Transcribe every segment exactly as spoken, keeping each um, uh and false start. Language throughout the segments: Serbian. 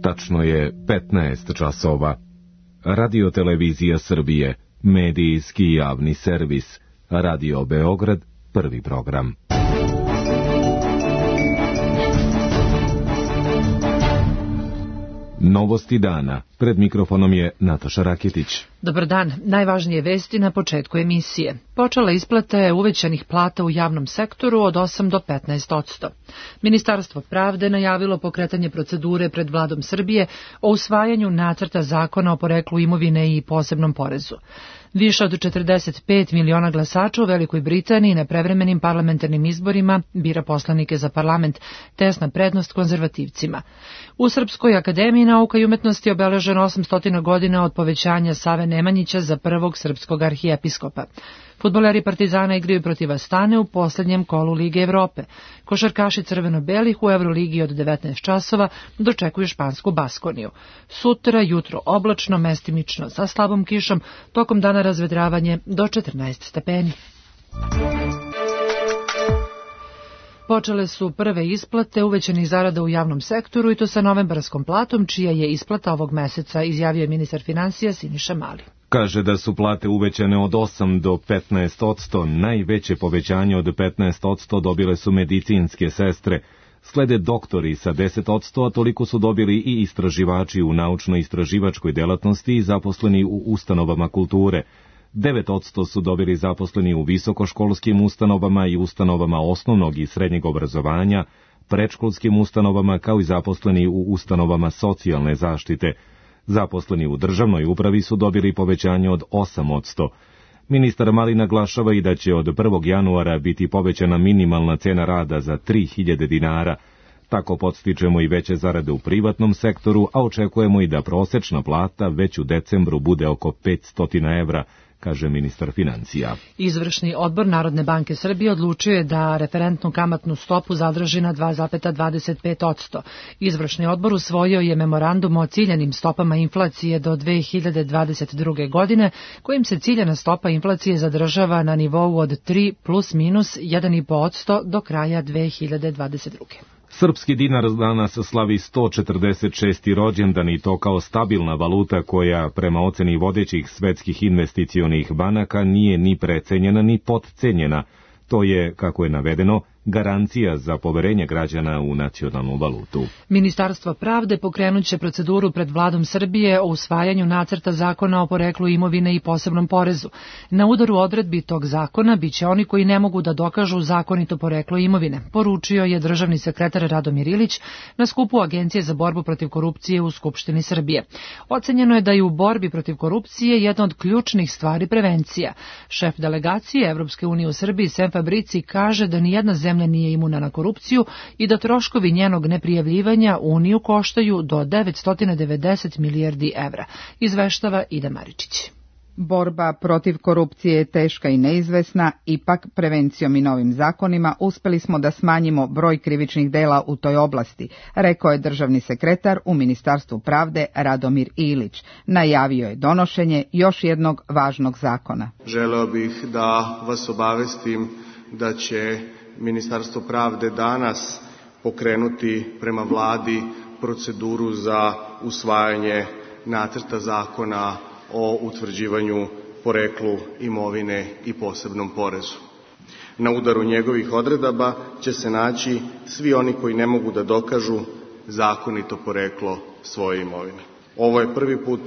Tačno je petnaest časova. Radio-televizija Srbije, medijski javni servis, Radio Beograd, prvi program. Novosti dana. Pred mikrofonom je Nataša Raketić. Dobar dan. Najvažnije vesti na početku emisije. Počela isplata je uvećanih plata u javnom sektoru od osam do petnaest odsto. Ministarstvo pravde najavilo pokretanje procedure pred Vladom Srbije o usvajanju nacrta zakona o poreklu imovine i posebnom porezu. Više od četrdeset pet miliona glasača u Velikoj Britaniji na prevremenim parlamentarnim izborima bira poslanike za parlament, tesna prednost konzervativcima. U Srpskoj akademiji nauka i umetnosti je obeleženo osamsto godina od povećanja Save Nemanjića za prvog srpskog arhijepiskopa. Fudbaleri Partizana igraju protiv Astane u poslednjem kolu Lige Evrope. Košarkaši crveno-belih u Euroligi od devetnaest časova dočekuju špansku Baskoniju. Sutra jutro oblačno, mestimično sa slabom kišom, tokom dana razvedravanje do četrnaest stepeni. Počele su prve isplate uvećanih zarada u javnom sektoru i to sa novembarskom platom, čija je isplata ovog meseca, izjavio je ministar finansija Siniša Mali. Kaže da su plate uvećane od osam do petnaest odsto, najveće povećanje od petnaest odsto dobile su medicinske sestre, slede doktori sa deset odsto, a toliko su dobili i istraživači u naučno-istraživačkoj delatnosti i zaposleni u ustanovama kulture. devet odsto su dobili zaposleni u visokoškolskim ustanovama i ustanovama osnovnog i srednjeg obrazovanja, predškolskim ustanovama kao i zaposleni u ustanovama socijalne zaštite. Zaposleni u državnoj upravi su dobili povećanje od osam odsto. Ministar Mali naglašava i da će od prvog januara biti povećana minimalna cena rada za tri hiljade dinara. Tako podstičemo i veće zarade u privatnom sektoru, a očekujemo i da prosečna plata već u decembru bude oko petsto evra, kaže ministar financija. Izvršni odbor Narodne banke Srbije odlučio je da referentnu kamatnu stopu zadrži na dva zarez dvadeset pet odsto. Izvršni odbor usvojio je memorandum o ciljanim stopama inflacije do dve hiljade dvadeset druge. godine, kojim se ciljana stopa inflacije zadržava na nivou od tri plus minus jedan zarez pet odsto do kraja dve hiljade dvadeset druge. Srpski dinar danas slavi sto četrdeset šesti rođendan i to kao stabilna valuta koja, prema oceni vodećih svetskih investicionih banaka, nije ni precenjena ni potcenjena. To je, kako je navedeno, garancija za poverenje građana u nacionalnu valutu. Ministarstvo pravde pokrenut će proceduru pred Vladom Srbije o usvajanju nacrta zakona o poreklu imovine i posebnom porezu. Na udaru odredbi tog zakona biće oni koji ne mogu da dokažu zakonito poreklo imovine, poručio je državni sekretar Radomir Ilić na skupu Agencije za borbu protiv korupcije u Skupštini Srbije. Ocenjeno je da je u borbi protiv korupcije jedna od ključnih stvari prevencija. Šef delegacije Evropske unije u Srbiji Sem Fabrici kaže da nijedna zemlja zemlja nije imuna na korupciju i da troškovi njenog neprijavljivanja Uniju koštaju do devetsto devedeset milijardi evra, izveštava Ida Maričić. Borba protiv korupcije je teška i neizvesna, ipak prevencijom i novim zakonima uspeli smo da smanjimo broj krivičnih dela u toj oblasti, rekao je državni sekretar u Ministarstvu pravde Radomir Ilić. Najavio je donošenje još jednog važnog zakona. Želeo bih da vas obavestim da će Ministarstvo pravde danas pokrenuti prema Vladi proceduru za usvajanje nacrta zakona o utvrđivanju poreklu imovine i posebnom porezu. Na udaru njegovih odredaba će se naći svi oni koji ne mogu da dokažu zakonito poreklo svoje imovine. Ovo je prvi put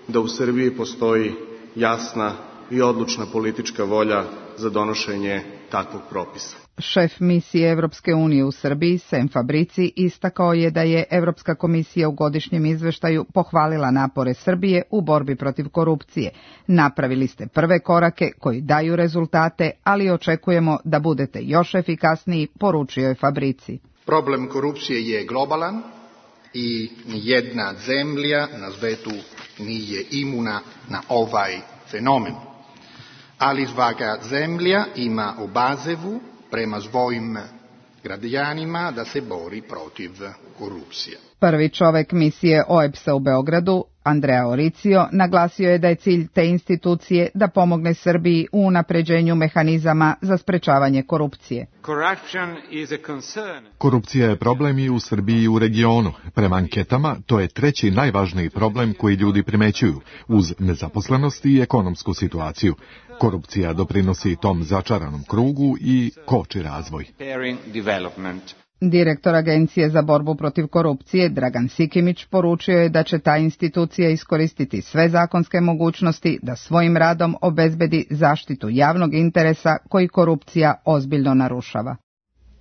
da u Srbiji postoji jasna i odlučna politička volja za donošenje takvog propisa. Šef misije Evropske unije u Srbiji, Sem Fabrici, istakao je da je Evropska komisija u godišnjem izveštaju pohvalila napore Srbije u borbi protiv korupcije. Napravili ste prve korake koji daju rezultate, ali očekujemo da budete još efikasniji, poručio je Fabrici. Problem korupcije je globalan i nijedna zemlja na svetu nije imuna na ovaj fenomen. Ali svaka zemlja ima obavezu prema svojim građanima da se bori protiv korupcije. Prvi čovek misije O E B S-a u Beogradu, Andrea Oricio naglasio je da je cilj te institucije da pomogne Srbiji u unapređenju mehanizama za sprečavanje korupcije. Korupcija je problem i u Srbiji i u regionu. Prema anketama, to je treći najvažniji problem koji ljudi primećuju, uz nezaposlenost i ekonomsku situaciju. Korupcija doprinosi tom začaranom krugu i koči razvoj. Direktor Agencije za borbu protiv korupcije Dragan Sikimić poručio je da će ta institucija iskoristiti sve zakonske mogućnosti da svojim radom obezbedi zaštitu javnog interesa koji korupcija ozbiljno narušava.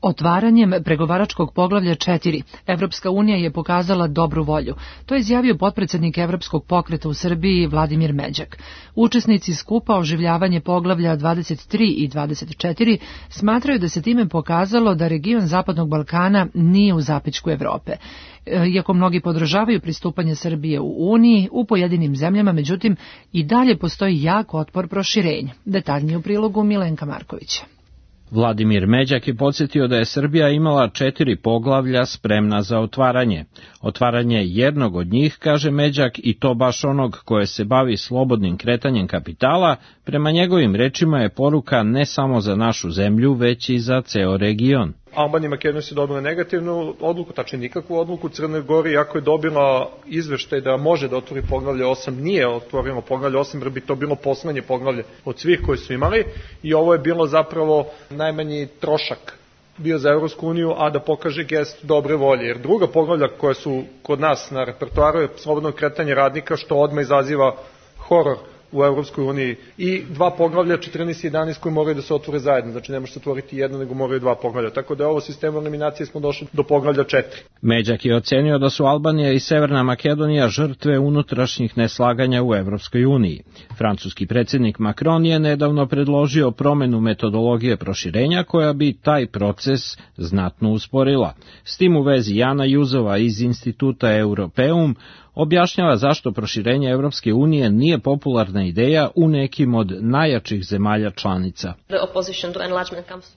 Otvaranjem pregovaračkog poglavlja četiri, Evropska unija je pokazala dobru volju. To je izjavio potpredsednik Evropskog pokreta u Srbiji Vladimir Međak. Učesnici skupa oživljavanje poglavlja dvadeset tri i dvadeset četiri smatraju da se time pokazalo da region Zapadnog Balkana nije u zapećku Evrope. Iako mnogi podržavaju pristupanje Srbije u Uniji, u pojedinim zemljama, međutim, i dalje postoji jak otpor proširenja. Detaljnije u prilogu Milenka Markovića. Vladimir Međak je podsjetio da je Srbija imala četiri poglavlja spremna za otvaranje. Otvaranje jednog od njih, kaže Međak, i to baš onog koje se bavi slobodnim kretanjem kapitala, prema njegovim rečima je poruka ne samo za našu zemlju, već i za ceo region. Albanija i Makedonija su dobila negativnu odluku, tačnije nikakvu odluku. Crnoj Gori, iako je dobila izveštaj da može da otvori poglavlje osam, nije otvorilo poglavlje osam, jer bi to bilo poslednje poglavlje od svih koji su imali i ovo je bilo zapravo najmanji trošak bio za Evropsku uniju, a da pokaže gest dobre volje. Jer druga poglavlja koja su kod nas na repertoaru je slobodno kretanje radnika, što odmah izaziva horor u Evropskoj uniji, i dva poglavlja četrnaest i jedanaest koji moraju da se otvore zajedno, znači ne može se otvoriti jedno, nego moraju dva poglavlja, tako da je ovo sistem eliminacije smo došli do poglavlja četiri. Međak je ocenio da su Albanija i Severna Makedonija žrtve unutrašnjih neslaganja u Evropskoj uniji. Francuski predsjednik Macron je nedavno predložio promenu metodologije proširenja koja bi taj proces znatno usporila. S tim u vezi Jana Juzova iz instituta Europeum objašnjava zašto proširenje Evropske unije nije popularna ideja u nekim od najjačih zemalja članica.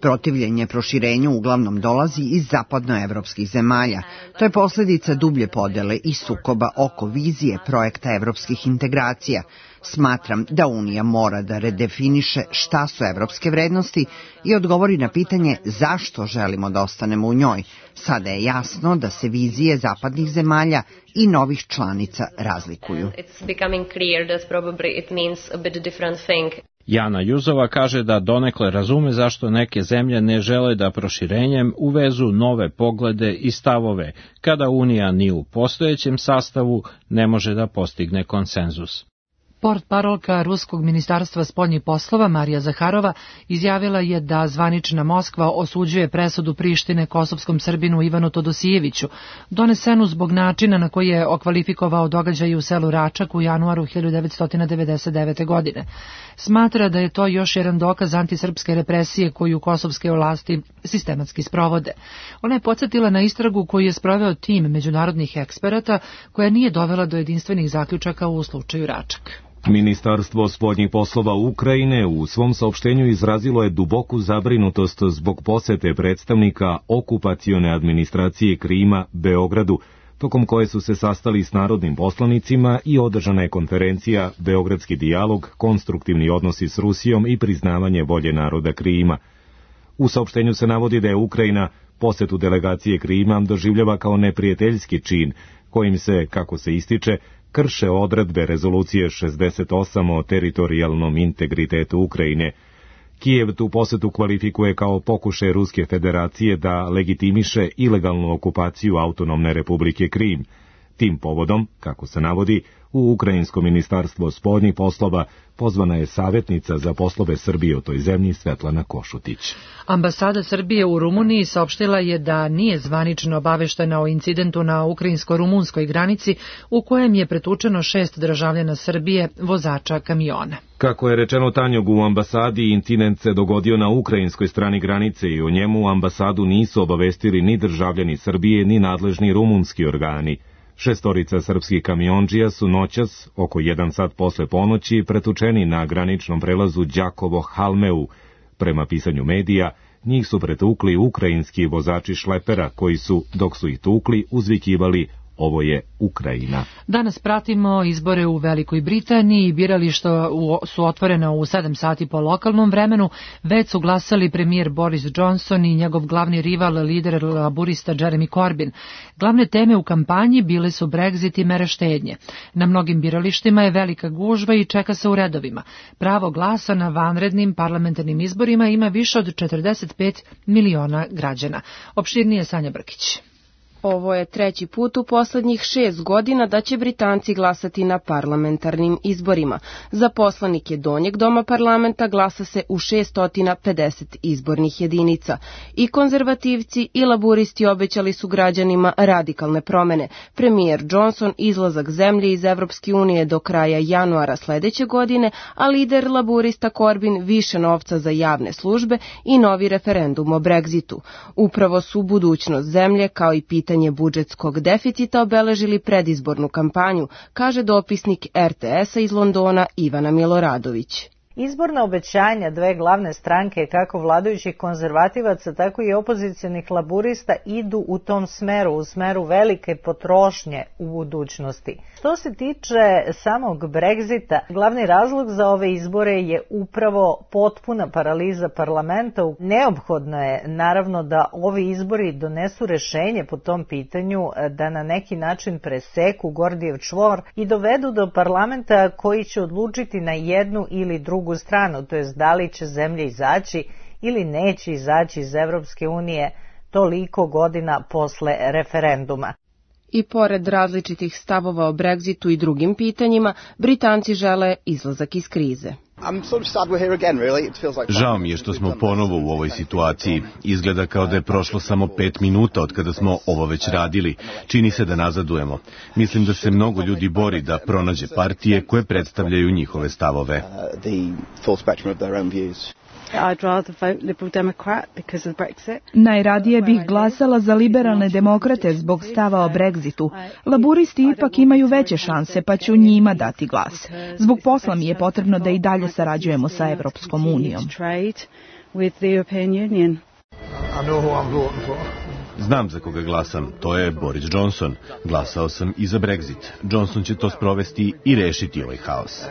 Protivljenje proširenju uglavnom dolazi iz zapadnoevropskih zemalja. To je posljedica dublje podele i sukoba oko vizije projekta evropskih integracija. Smatram da Unija mora da redefiniše šta su evropske vrednosti i odgovori na pitanje zašto želimo da ostanemo u njoj. Sada je jasno da se vizije zapadnih zemalja i novih članica razlikuju. Jana Juzova kaže da donekle razume zašto neke zemlje ne žele da proširenjem uvezu nove poglede i stavove, kada Unija ni u postojećem sastavu ne može da postigne konsenzus. Portparolka Ruskog ministarstva spoljnih poslova Marija Zaharova izjavila je da zvanična Moskva osuđuje presudu Prištine kosovskom Srbinu Ivanu Todosijeviću, donesenu zbog načina na koji je okvalifikovao događaje u selu Račak u januaru hiljadu devetsto devedeset devete. godine. Smatra da je to još jedan dokaz antisrpske represije koju kosovske vlasti sistematski sprovode. Ona je podsjetila na istragu koju je sproveo tim međunarodnih eksperata koja nije dovela do jedinstvenih zaključaka u slučaju Račak. Ministarstvo spoljnih poslova Ukrajine u svom saopštenju izrazilo je duboku zabrinutost zbog posete predstavnika okupacione administracije Krima Beogradu, tokom koje su se sastali s narodnim poslanicima i održana je konferencija Beogradski dijalog, konstruktivni odnosi s Rusijom i priznavanje volje naroda Krima. U saopštenju se navodi da je Ukrajina posetu delegacije Krima doživljava kao neprijateljski čin, kojim se, kako se ističe, krše odredbe rezolucije šezdeset osam o teritorijalnom integritetu Ukrajine. Kijev tu posetu kvalifikuje kao pokušaj Ruske federacije da legitimiše ilegalnu okupaciju autonomne republike Krim. Tim povodom, kako se navodi, u Ukrajinsko ministarstvo spoljnih poslova pozvana je savjetnica za poslove Srbije u toj zemlji Svetlana Košutić. Ambasada Srbije u Rumuniji saopštila je da nije zvanično obaveštena o incidentu na ukrajinsko-rumunskoj granici u kojem je pretučeno šest državljana Srbije, vozača kamiona. Kako je rečeno Tanjog u ambasadi, incident se dogodio na ukrajinskoj strani granice i o njemu ambasadu nisu obavestili ni državljani Srbije ni nadležni rumunski organi. Šestorica srpskih kamiondžija su noćas, oko jedan sat posle ponoći, pretučeni na graničnom prelazu Đakovo-Halmeu. Prema pisanju medija, njih su pretukli ukrajinski vozači šlepera koji su, dok su ih tukli, uzvikivali Ovo je Ukrajina. Danas pratimo izbore u Velikoj Britaniji. Birališta su otvorena u sedam sati po lokalnom vremenu. Već su glasali premijer Boris Johnson i njegov glavni rival, lider laburista Jeremy Corbyn. Glavne teme u kampanji bile su Brexit i mere štednje. Na mnogim biralištima je velika gužva i čeka se u redovima. Pravo glasa na vanrednim parlamentarnim izborima ima više od četrdeset pet miliona građana. Opširnije Sanja Brkić. Ovo je treći put u poslednjih šest godina da će Britanci glasati na parlamentarnim izborima. Za poslanike Donjeg doma parlamenta glasa se u šesto pedeset izbornih jedinica. I konzervativci i laburisti obećali su građanima radikalne promene. Premijer Johnson izlazak zemlje iz Evropske unije do kraja januara sledeće godine, a lider laburista Corbyn više novca za javne službe i novi referendum o Brexitu. Upravo su budućnost zemlje kao i pitanje budžetskog deficita obeležili predizbornu kampanju, kaže dopisnik R T S-a iz Londona Ivana Miloradović. Izborna obećanja dve glavne stranke, kako vladajućih konzervativaca, tako i opozicionih laburista, idu u tom smeru, u smeru velike potrošnje u budućnosti. Što se tiče samog Brexita, glavni razlog za ove izbore je upravo potpuna paraliza parlamenta. Neophodno je, naravno, da ovi izbori donesu rešenje po tom pitanju, da na neki način preseku Gordijev čvor i dovedu do parlamenta koji će odlučiti na jednu ili drugu stranu, to jest da li će zemlja izaći ili neće izaći iz Evropske unije toliko godina posle referenduma. I pored različitih stavova o Brexitu i drugim pitanjima, Britanci žele izlazak iz krize. Žao mi je što smo ponovo u ovoj situaciji. Izgleda kao da je prošlo samo pet minuta od kada smo ovo već radili. Čini se da nazadujemo. Mislim da se mnogo ljudi bori da pronađe partije koje predstavljaju njihove stavove. Najradije bih glasala za liberalne demokrate zbog stava o Brexitu. Laburisti ipak imaju veće šanse, pa ću njima dati glas. Zbog posla mi je potrebno da i dalje sarađujemo sa Evropskom unijom. Znam za koga glasam, to je Boris Johnson. Glasao sam i za Brexit. Johnson će to sprovesti i rešiti ovaj haos.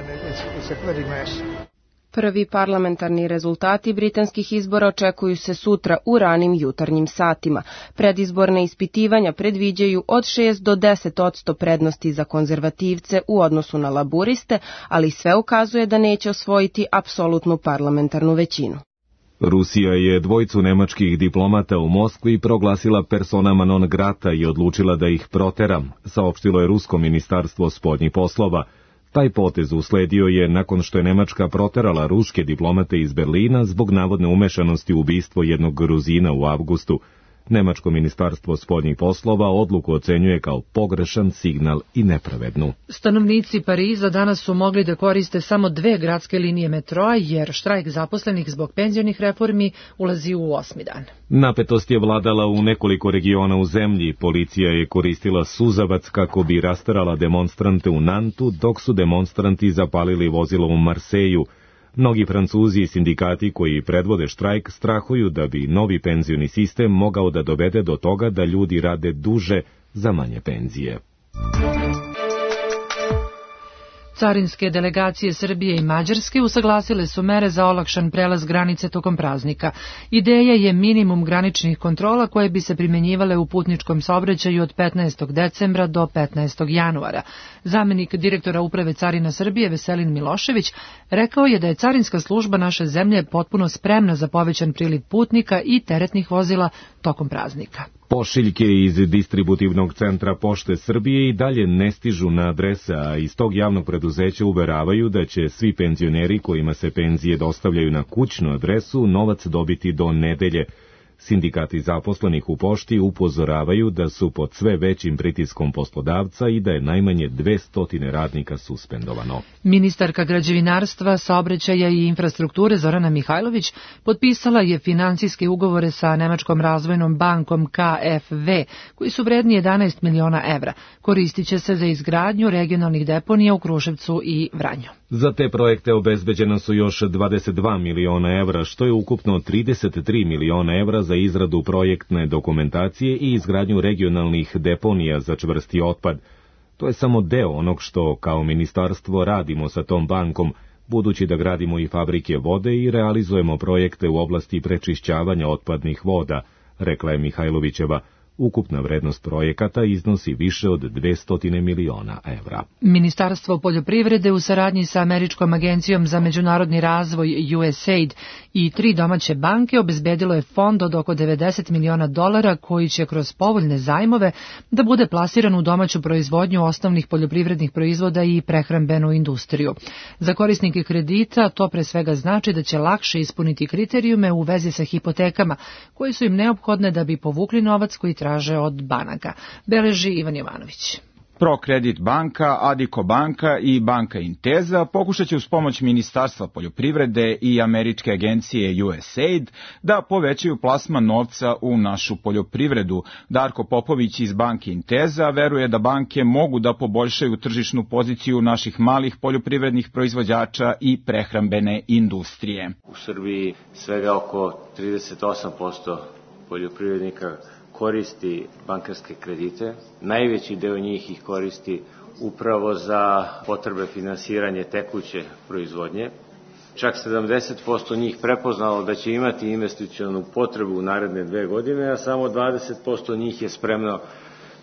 Prvi parlamentarni rezultati britanskih izbora očekuju se sutra u ranim jutarnjim satima. Predizborne ispitivanja predviđaju od šest do deset posto prednosti za konzervativce u odnosu na laburiste, ali sve ukazuje da neće osvojiti apsolutnu parlamentarnu većinu. Rusija je dvojicu nemačkih diplomata u Moskvi proglasila personama non grata i odlučila da ih protera, saopštilo je Rusko ministarstvo spoljnih poslova. Taj potez usledio je nakon što je Nemačka proterala ruske diplomate iz Berlina zbog navodne umešanosti u ubistvo jednog Gruzina u avgustu. Nemačko ministarstvo spoljnih poslova odluku ocenjuje kao pogrešan signal i nepravednu. Stanovnici Pariza danas su mogli da koriste samo dve gradske linije metroa, jer štrajk zaposlenih zbog penzionih reformi ulazi u osmi dan. Napetost je vladala u nekoliko regiona u zemlji. Policija je koristila suzavac kako bi rasterala demonstrante u Nantu, dok su demonstranti zapalili vozilo u Marseju. Mnogi Francuzi i sindikati koji predvode štrajk strahuju da bi novi penzioni sistem mogao da dovede do toga da ljudi rade duže za manje penzije. Carinske delegacije Srbije i Mađarske usaglasile su mere za olakšan prelaz granice tokom praznika. Ideja je minimum graničnih kontrola koje bi se primenjivale u putničkom saobraćaju od petnaestog decembra do petnaestog januara. Zamenik direktora Uprave carina Srbije Veselin Milošević rekao je da je carinska služba naše zemlje potpuno spremna za povećan priliv putnika i teretnih vozila tokom praznika. Pošiljke iz distributivnog centra Pošte Srbije i dalje ne stižu na adrese, a iz tog javnog preduzeća uveravaju da će svi penzioneri kojima se penzije dostavljaju na kućnu adresu novac dobiti do nedelje. Sindikati zaposlenih u pošti upozoravaju da su pod sve većim pritiskom poslodavca i da je najmanje dvesta radnika suspendovano. Ministarka građevinarstva, saobraćaja i infrastrukture Zorana Mihajlović potpisala je finansijske ugovore sa Nemačkom razvojnom bankom K F V, koji su vredni jedanaest miliona evra. Koristit će se za izgradnju regionalnih deponija u Kruševcu i Vranju. Za te projekte obezbeđeno su još dvadeset dva miliona evra, što je ukupno trideset tri miliona evra za izradu projektne dokumentacije i izgradnju regionalnih deponija za čvrsti otpad. To je samo deo onog što kao ministarstvo radimo sa tom bankom, budući da gradimo i fabrike vode i realizujemo projekte u oblasti prečišćavanja otpadnih voda, rekla je Mihajlovićeva. Ukupna vrednost projekata iznosi više od dvesta miliona evra. Ministarstvo poljoprivrede u saradnji sa Američkom agencijom za međunarodni razvoj U S A I D i tri domaće banke obezbedilo je fond od oko devedeset miliona dolara koji će kroz povoljne zajmove da bude plasiran u domaću proizvodnju osnovnih poljoprivrednih proizvoda i prehrambenu industriju. Za korisnike kredita to pre svega znači da će lakše ispuniti kriterijume u vezi sa hipotekama koji su im neophodne da bi povukli novac koji traže od banaka, beleži Ivan Jovanović. Prokredit banka, Adiko banka i banka Inteza pokušat će uz pomoć Ministarstva poljoprivrede i Američke agencije U S A I D da povećaju plasman novca u našu poljoprivredu. Darko Popović iz banke Inteza veruje da banke mogu da poboljšaju tržišnu poziciju naših malih poljoprivrednih proizvođača i prehrambene industrije. U Srbiji svega oko trideset osam posto poljoprivrednika koristi bankarske kredite. Najveći deo njih ih koristi upravo za potrebe finansiranja tekuće proizvodnje. Čak sedamdeset posto njih prepoznalo da će imati investicionu potrebu u naredne dve godine, a samo dvadeset posto njih je spremno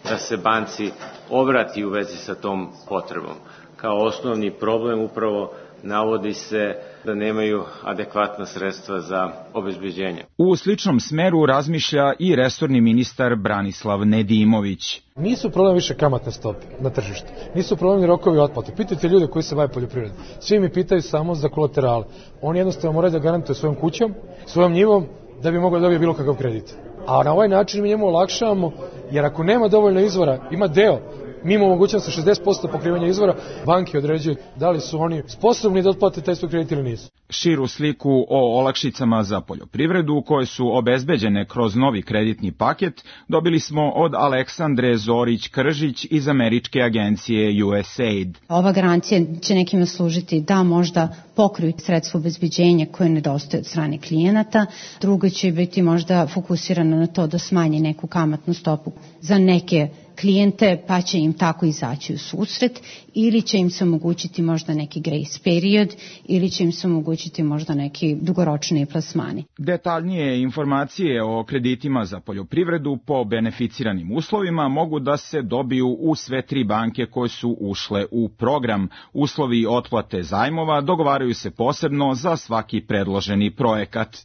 da se banci obrati u vezi sa tom potrebom. Kao osnovni problem upravo navodi se da nemaju adekvatna sredstva za obezbeđenje. U sličnom smeru razmišlja i resorni ministar Branislav Nedimović. Nisu problem više kamatne stope na tržištu, nisu problem rokovi otplate. Pitajte ljude koji se bave poljoprivredom. Svi mi pitaju samo za kolaterale. Oni jednostavno moraju da garantuju svojom kućom, svojom njivom, da bi mogli da dobije bilo kakav kredit. A na ovaj način mi njemu olakšavamo, jer ako nema dovoljno izvora, ima deo, mi imamo mogućnost sa šezdeset posto pokrivanja izvora, banke određuju da li su oni sposobni da otplate taj svoj kredit ili nisu. Širu sliku o olakšicama za poljoprivredu koje su obezbeđene kroz novi kreditni paket dobili smo od Aleksandre Zorić-Kržić iz Američke agencije U S A I D. Ova garancija će nekima služiti da možda pokriju sredstvo obezbeđenja koje nedostaje od strane klijenata, druga će biti možda fokusirana na to da smanji neku kamatnu stopu za neke klijente, pa će im tako izaći u susret, ili će im se omogućiti možda neki grace period, ili će im se omogućiti možda neki dugoročni plasmani. Detaljnije informacije o kreditima za poljoprivredu po beneficiranim uslovima mogu da se dobiju u sve tri banke koje su ušle u program. Uslovi otplate zajmova dogovaraju se posebno za svaki predloženi projekat.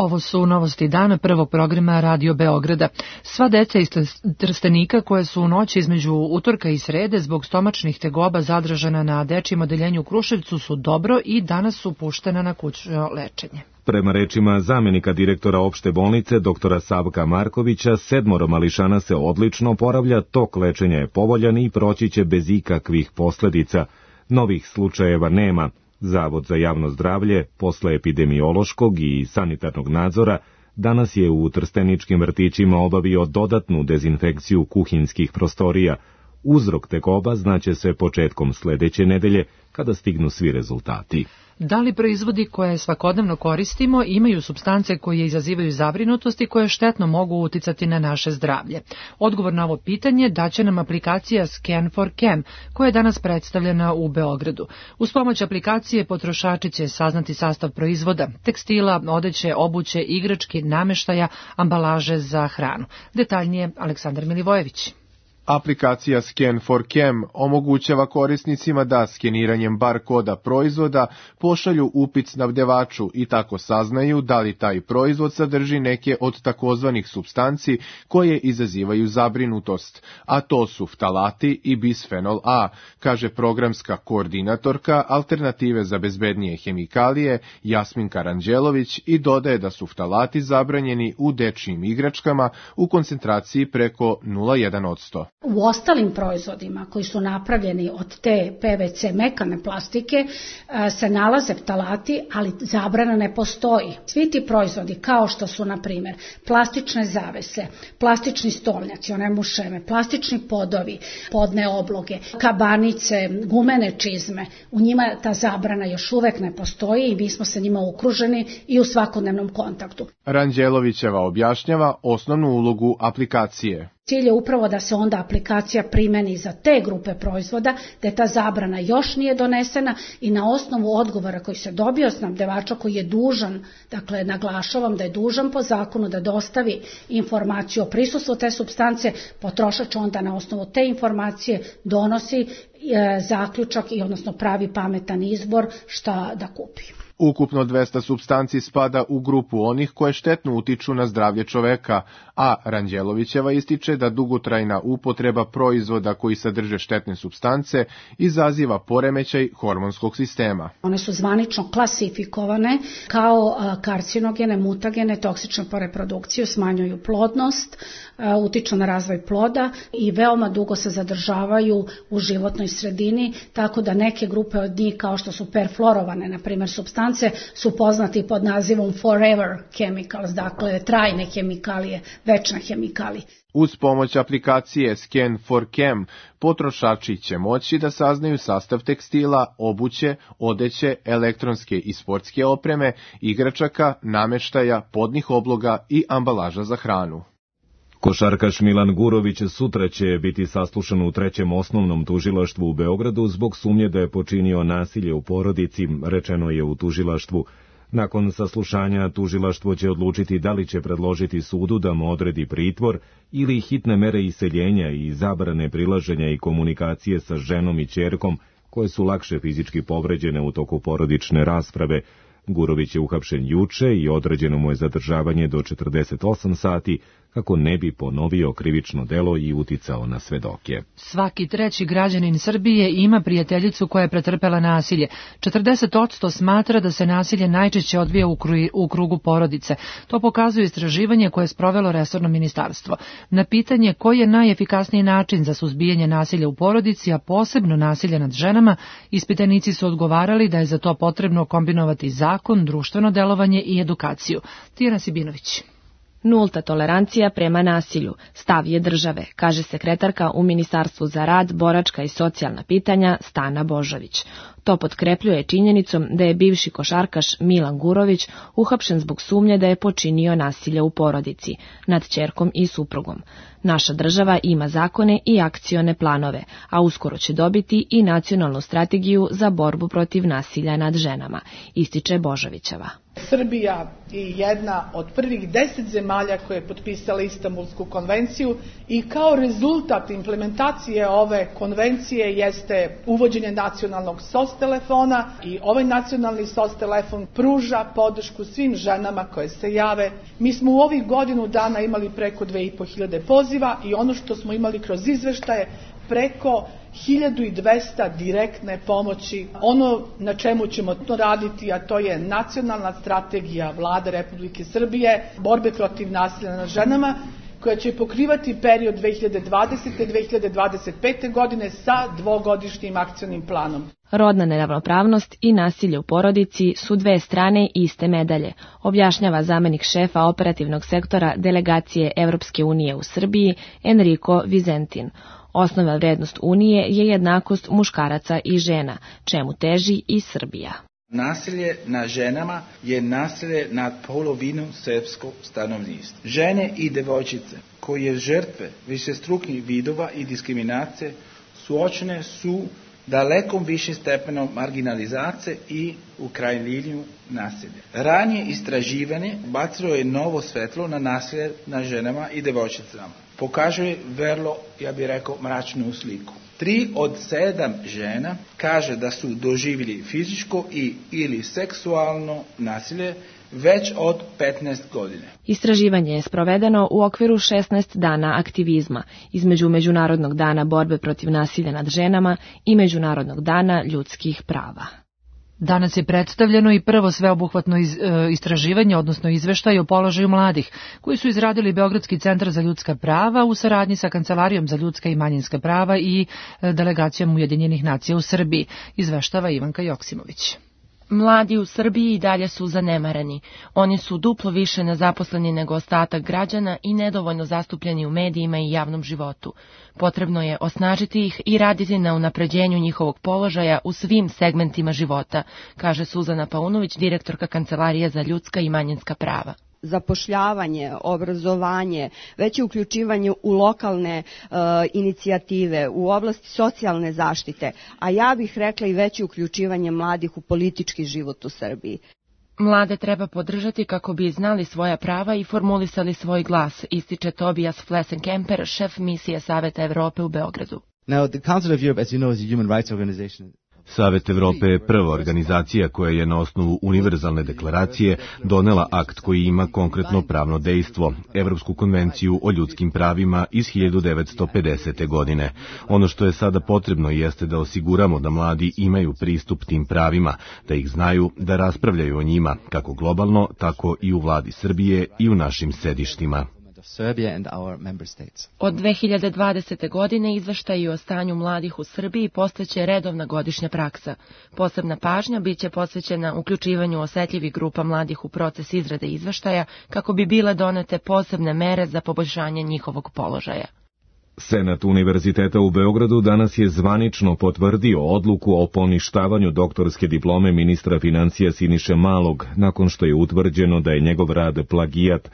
Ovo su novosti dana prvog programa Radio Beograda. Sva deca iz Trstenika koje su u noći između utorka i srede zbog stomačnih tegoba zadržana na dečijem odeljenju u Kruševcu su dobro i danas su puštena na kućno lečenje. Prema rečima zamenika direktora opšte bolnice doktora Savka Markovića, sedmoro mališana se odlično oporavlja, tok lečenja je povoljan i proći će bez ikakvih posledica. Novih slučajeva nema. Zavod za javno zdravlje, posle epidemiološkog i sanitarnog nadzora, danas je u trsteničkim vrtićima obavio dodatnu dezinfekciju kuhinskih prostorija. Uzrok tegoba znaće se početkom sledeće nedelje, kada stignu svi rezultati. Da li proizvodi koje svakodnevno koristimo imaju supstance koje izazivaju zabrinutost i koje štetno mogu uticati na naše zdravlje? Odgovor na ovo pitanje daće nam aplikacija Scan for Chem, koja je danas predstavljena u Beogradu. Uz pomoć aplikacije potrošači će saznati sastav proizvoda, tekstila, odeće, obuće, igrački, nameštaja, ambalaže za hranu. Detaljnije Aleksandar Milivojević. Aplikacija Scan for Chem omogućava korisnicima da skeniranjem bar koda proizvoda pošalju upit snabdevaču i tako saznaju da li taj proizvod sadrži neke od takozvanih supstanci koje izazivaju zabrinutost, a to su ftalati i bisfenol A, kaže programska koordinatorka Alternative za bezbednije hemikalije Jasmin Karanđelović i dodaje da su ftalati zabranjeni u dečijim igračkama u koncentraciji preko nula zarez jedan posto. U ostalim proizvodima koji su napravljeni od te P V C mekane plastike se nalaze ftalati, ali zabrana ne postoji. Svi ti proizvodi kao što su, na primjer, plastične zavese, plastični stolnjaci, one mušeme, plastični podovi, podne obloge, kabanice, gumene čizme, u njima ta zabrana još uvek ne postoji i mi smo sa njima okruženi i u svakodnevnom kontaktu. Ranđelovićeva objašnjava osnovnu ulogu aplikacije. Cilj je upravo da se onda aplikacija primeni za te grupe proizvoda, da je ta zabrana još nije donesena i na osnovu odgovora koji se dobio od snabdevača koji je dužan, dakle naglašavam da je dužan po zakonu da dostavi informaciju o prisustvu te supstance, potrošač onda na osnovu te informacije donosi e, zaključak i odnosno pravi pametan izbor šta da kupi. Ukupno dvesta supstanci spada u grupu onih koje štetno utiču na zdravlje čoveka, a Ranđelovićeva ističe da dugotrajna upotreba proizvoda koji sadrže štetne supstance izaziva poremećaj hormonskog sistema. One su zvanično klasifikovane kao karcinogene, mutagene, toksične po reprodukciju, smanjuju plodnost, utiču na razvoj ploda i veoma dugo se zadržavaju u životnoj sredini, tako da neke grupe od njih kao što su perfluorovane, na primjer supstance, su poznati pod nazivom forever chemicals, dakle trajne hemikalije, večne hemikalije. Uz pomoć aplikacije Scan for Chem, potrošači će moći da saznaju sastav tekstila, obuće, odeće, elektronske i sportske opreme, igračaka, nameštaja, podnih obloga i ambalaža za hranu. Košarkaš Milan Gurović sutra će biti saslušan u trećem osnovnom tužilaštvu u Beogradu zbog sumnje da je počinio nasilje u porodici, rečeno je u tužilaštvu. Nakon saslušanja tužilaštvo će odlučiti da li će predložiti sudu da mu odredi pritvor ili hitne mere iseljenja i zabrane prilaženja i komunikacije sa ženom i ćerkom koje su lakše fizički povređene u toku porodične rasprave. Gurović je uhapšen juče i određeno mu je zadržavanje do četrdeset osam sati kako ne bi ponovio krivično delo i uticao na svedoke. Svaki treći građanin Srbije ima prijateljicu koja je pretrpela nasilje. četrdeset posto smatra da se nasilje najčešće odvija u, kru, u krugu porodice. To pokazuje istraživanje koje je sprovelo resorno ministarstvo. Na pitanje koji je najefikasniji način za suzbijanje nasilja u porodici, a posebno nasilja nad ženama, ispitanici su odgovarali da je za to potrebno kombinovati zakon, društveno delovanje i edukaciju. Tijana Sibinović. Nulta tolerancija prema nasilju, stav je države, kaže sekretarka u Ministarstvu za rad, boračka i socijalna pitanja Stana Božović. To potkrepljuje činjenicom da je bivši košarkaš Milan Gurović uhapšen zbog sumnje da je počinio nasilje u porodici, nad ćerkom i suprugom. Naša država ima zakone i akcione planove, a uskoro će dobiti i nacionalnu strategiju za borbu protiv nasilja nad ženama, ističe Božovićeva. Srbija je jedna od prvih deset zemalja koje je potpisala Istanbulsku konvenciju i kao rezultat implementacije ove konvencije jeste uvođenje nacionalnog S O S telefona i ovaj nacionalni S O S telefon pruža podršku svim ženama koje se jave. Mi smo u ovih godinu dana imali preko dve i po hiljade poziva i ono što smo imali kroz izveštaje preko hiljadu dvesta direktne pomoći. Ono na čemu ćemo to raditi, a to je nacionalna strategija Vlade Republike Srbije, borbe protiv nasilja nad ženama, koja će pokrivati period dve hiljade dvadesete do dve hiljade dvadeset pete. godine sa dvogodišnjim akcionim planom. Rodna neravnopravnost i nasilje u porodici su dve strane iste medalje, objašnjava zamenik šefa operativnog sektora delegacije Evropske unije u Srbiji Enrico Vizentin. Osnovna vrednost Unije je jednakost muškaraca i žena, čemu teži i Srbija. Nasilje nad ženama je nasilje nad polovinom srpskog stanovništva. Žene i devojčice koje žrtve višestrukih vidova i diskriminacije suočene su dalekom višim stepenom marginalizacije i u krajnjem nasilja. Ranije istraživanje bacilo je novo svetlo na nasilje nad ženama i devojčicama. Pokazuje vrlo, ja bih rekao, mračnu sliku. Tri od sedam žena kaže da su doživjeli fizičko i ili seksualno nasilje već od petnaest godine. Istraživanje je sprovedeno u okviru šesnaest dana aktivizma između Međunarodnog dana borbe protiv nasilja nad ženama i Međunarodnog dana ljudskih prava. Danas je predstavljeno i prvo sveobuhvatno iz, e, istraživanje, odnosno izveštaj o položaju mladih, koji su izradili Beogradski centar za ljudska prava u saradnji sa Kancelarijom za ljudska i manjinska prava i e, delegacijom Ujedinjenih nacija u Srbiji, izveštava Ivanka Joksimović. Mladi u Srbiji i dalje su zanemareni. Oni su duplo više nezaposleni nego ostatak građana i nedovoljno zastupljeni u medijima i javnom životu. Potrebno je osnažiti ih i raditi na unapređenju njihovog položaja u svim segmentima života, kaže Suzana Paunović, direktorka Kancelarije za ljudska i manjinska prava. Zapošljavanje, obrazovanje, veće uključivanje u lokalne e, inicijative, u oblasti socijalne zaštite, a ja bih rekla i veće uključivanje mladih u politički život u Srbiji. Mlade treba podržati kako bi znali svoja prava i formulisali svoj glas, ističe Tobias Flessenkemper, šef misije Saveta Evrope u Beogradu. Now, the Council of Europe, as you know, is a human rights organization. Savet Evrope je prva organizacija koja je na osnovu univerzalne deklaracije donela akt koji ima konkretno pravno dejstvo, Evropsku konvenciju o ljudskim pravima iz hiljadu devetsto pedesete. godine. Ono što je sada potrebno jeste da osiguramo da mladi imaju pristup tim pravima, da ih znaju, da raspravljaju o njima, kako globalno, tako i u vladi Srbije i u našim sedištima. Od dve hiljade dvadesete. godine izveštaji o stanju mladih u Srbiji postaće redovna godišnja praksa. Posebna pažnja biće posvećena uključivanju osetljivih grupa mladih u proces izrade izveštaja kako bi bile donete posebne mere za poboljšanje njihovog položaja. Senat Univerziteta u Beogradu danas je zvanično potvrdio odluku o poništavanju doktorske diplome ministra financija Siniše Malog, nakon što je utvrđeno da je njegov rad plagijat.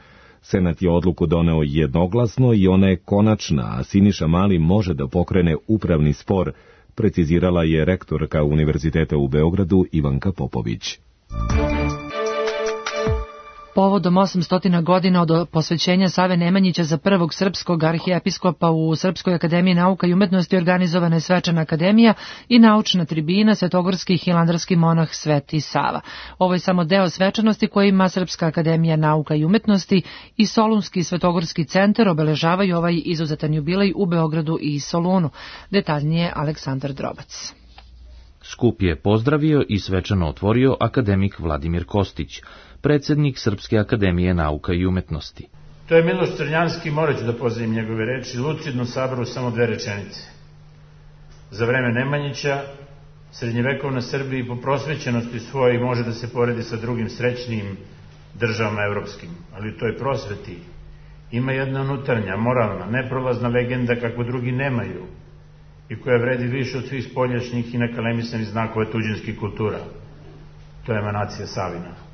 Senat je odluku doneo jednoglasno i ona je konačna, a Siniša Mali može da pokrene upravni spor, precizirala je rektorka Univerziteta u Beogradu Ivanka Popović. Povodom osamsto godina od posvećenja Save Nemanjića za prvog srpskog arhijepiskopa u Srpskoj akademiji nauka i umetnosti organizovana je svečana akademija i naučna tribina Svetogorski hilandarski monah Sveti Sava. Ovo je samo deo svečanosti koje ima Srpska akademija nauka i umetnosti i Solunski Svetogorski centar obeležavaju ovaj izuzetan jubilej u Beogradu i Solunu. Detaljnije Aleksandar Drobac. Skup je pozdravio i svečano otvorio akademik Vladimir Kostić, predsednik Srpske akademije nauka i umetnosti. To je Miloš Crnjanski, morat ću da pozdravim njegove reči, lucidno sabrao samo dve rečenice. Za vreme Nemanjića, srednjevekovna Srbija po prosvećenosti svojoj može da se poredi sa drugim srećnim državama evropskim, ali u toj prosveti ima jedna unutarnja, moralna, neprolazna legenda kakvu drugi nemaju i koja vredi više od svih spoljašnjih i nakalemisanih znakova tuđinskih kultura. To je emanacija Savina.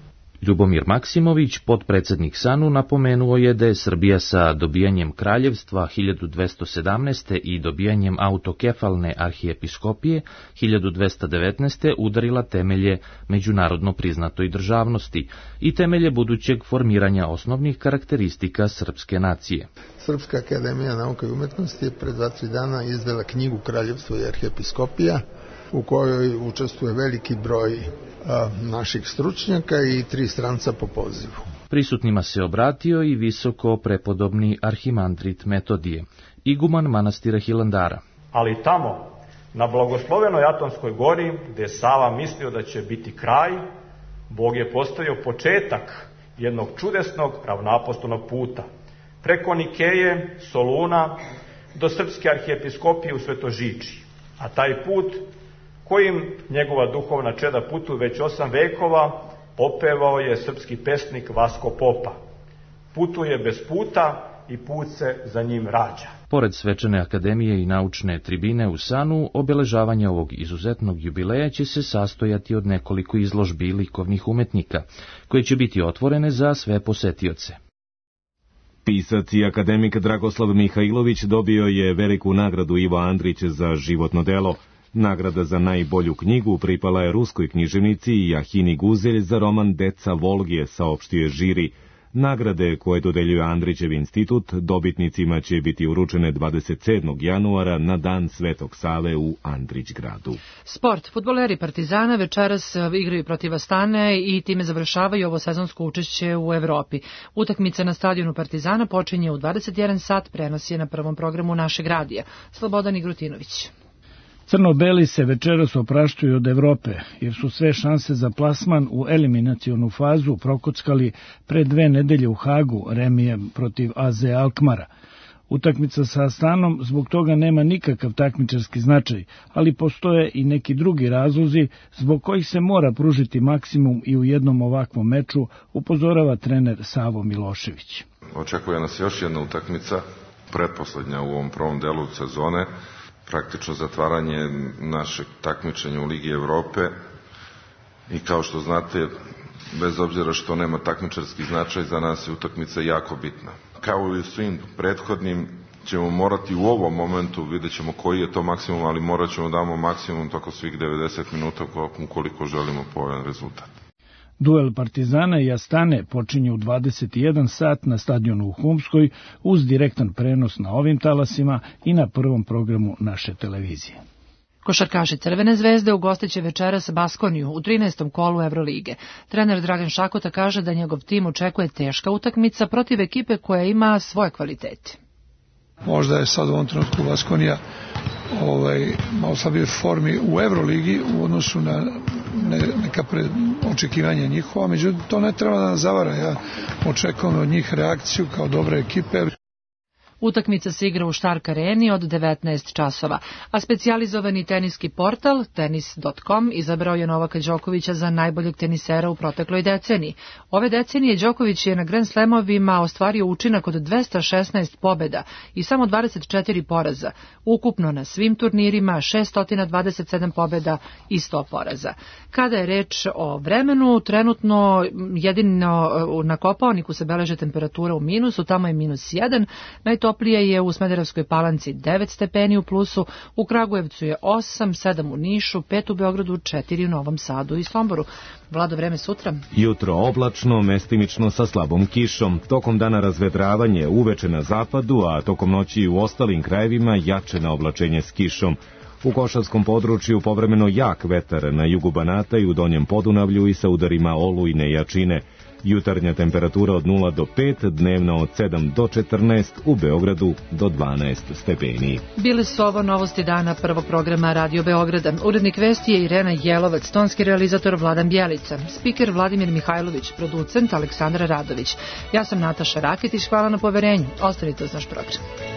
Ljubomir Maksimović, potpredsednik SANU, napomenuo je da je Srbija sa dobijanjem kraljevstva hiljadu dvesta sedamnaeste. i dobijanjem autokefalne arhijepiskopije hiljadu dvesta devetnaeste. udarila temelje međunarodno priznatoj državnosti i temelje budućeg formiranja osnovnih karakteristika srpske nacije. Srpska akademija nauka i umetnosti je pred dva tri dana izdala knjigu Kraljevstvo i arhijepiskopija, u kojoj učestvuje veliki broj a, naših stručnjaka i tri stranca po pozivu. Prisutnima se obratio i visoko prepodobni arhimandrit Metodije, iguman manastira Hilandara. Ali tamo, na blagoslovenoj Atonskoj gori, gde je Sava mislio da će biti kraj, Bog je postavio početak jednog čudesnog ravnoapostolnog puta, preko Nikeje, Soluna, do srpske arhijepiskopije u Svetožiči. A taj put, kojim njegova duhovna čeda putuju već osam vekova, opevao je srpski pesnik Vasko Popa. Putuje bez puta i put se za njim rađa. Pored svečane akademije i naučne tribine u SANU, obeležavanje ovog izuzetnog jubileja će se sastojati od nekoliko izložbi likovnih umetnika, koje će biti otvorene za sve posetioce. Pisac i akademik Dragoslav Mihajlović dobio je veliku nagradu Ivo Andrić za životno delo. Nagrada za najbolju knjigu pripala je ruskoj književnici Jahini Guzelj za roman Deca Volgije, saopštio je žiri. Nagrade koje dodeljuje Andrićev institut dobitnicima će biti uručene dvadeset sedmog januara na dan Svetog Save u Andrićgradu. Sport. Fudbaleri Partizana večeras igraju protiv Astane i time završavaju ovo sezonsko učešće u Evropi. Utakmica na stadionu Partizana počinje u dvadeset jedan sat, prenos je na prvom programu našeg radija. Slobodan Igrutinović. Crno-beli se večeras opraštuju od Evrope, jer su sve šanse za plasman u eliminacionu fazu prokockali pre dve nedelje u Hagu remijem protiv A Z Alkmara. Utakmica sa Astanom zbog toga nema nikakav takmičarski značaj, ali postoje i neki drugi razlozi zbog kojih se mora pružiti maksimum i u jednom ovakvom meču, upozorava trener Savo Milošević. Očekuje nas još jedna utakmica, pretposlednja u ovom prvom delu sezone, praktično zatvaranje našeg takmičenja u Ligi Evrope i kao što znate, bez obzira što nema takmičarski značaj, za nas je utakmica jako bitna. Kao i u svim prethodnim ćemo morati u ovom momentu, vidjet ćemo koji je to maksimum, ali morat ćemo damo maksimum toko svih devedeset minuta ukoliko želimo povoljan rezultat. Duel Partizana i Astane počinje u dvadeset i jedan sat na stadionu u Humskoj uz direktan prenos na ovim talasima i na prvom programu naše televizije. Košarkaši Crvene zvezde ugostiće večeras Baskoniju u trinaestom kolu Evrolige. Trener Dragan Šakota kaže da njegov tim očekuje teška utakmica protiv ekipe koja ima svoje kvalitete. Možda je sad u ovom trenutku Baskonija ovaj, malo slabije formi u Evroligi u odnosu na ne, neka pred, očekivanja njihova, međutim to ne treba da nas zavara. Ja očekujem od njih reakciju kao dobre ekipe. Utakmica se igra u Stark Areni od devetnaest časova, a specijalizovani teniski portal tenis dot com izabrao je Novaka Đokovića za najboljeg tenisera u protekloj deceniji. Ove decenije Đoković je na Grand Slamovima ostvario učinak od dvesta šesnaest pobjeda i samo dvadeset četiri poraza. Ukupno na svim turnirima šesto dvadeset sedam pobjeda i sto poraza. Kada je reč o vremenu, trenutno jedino na Kopaoniku se beleže temperatura u minusu, tamo je minus jedan, najtoplije je u Smederevskoj Palanci devet stepeni u plusu, u Kragujevcu je osam, sedam u Nišu, pet u Beogradu, četiri u Novom Sadu i Somboru. Vlado, vreme sutra? Jutro oblačno, mestimično sa slabom kišom. Tokom dana razvedravanje uveče na zapadu, a tokom noći u ostalim krajevima jače na oblačenje s kišom. U Košarskom području povremeno jak vetar na jugu Banata i u Donjem Podunavlju i sa udarima olujne jačine. Jutarnja temperatura od nula do pet, dnevna od sedam do četrnaest, u Beogradu do dvanaest stepeni. Bile su ovo novosti dana prvog programa Radio Beograda. Urednik vesti je Irena Jelovac, tonski realizator Vladan Bjelica, spiker Vladimir Mihajlović, producent Aleksandra Radović. Ja sam Nataša Raketić, hvala na poverenju. Ostanite uz naš program.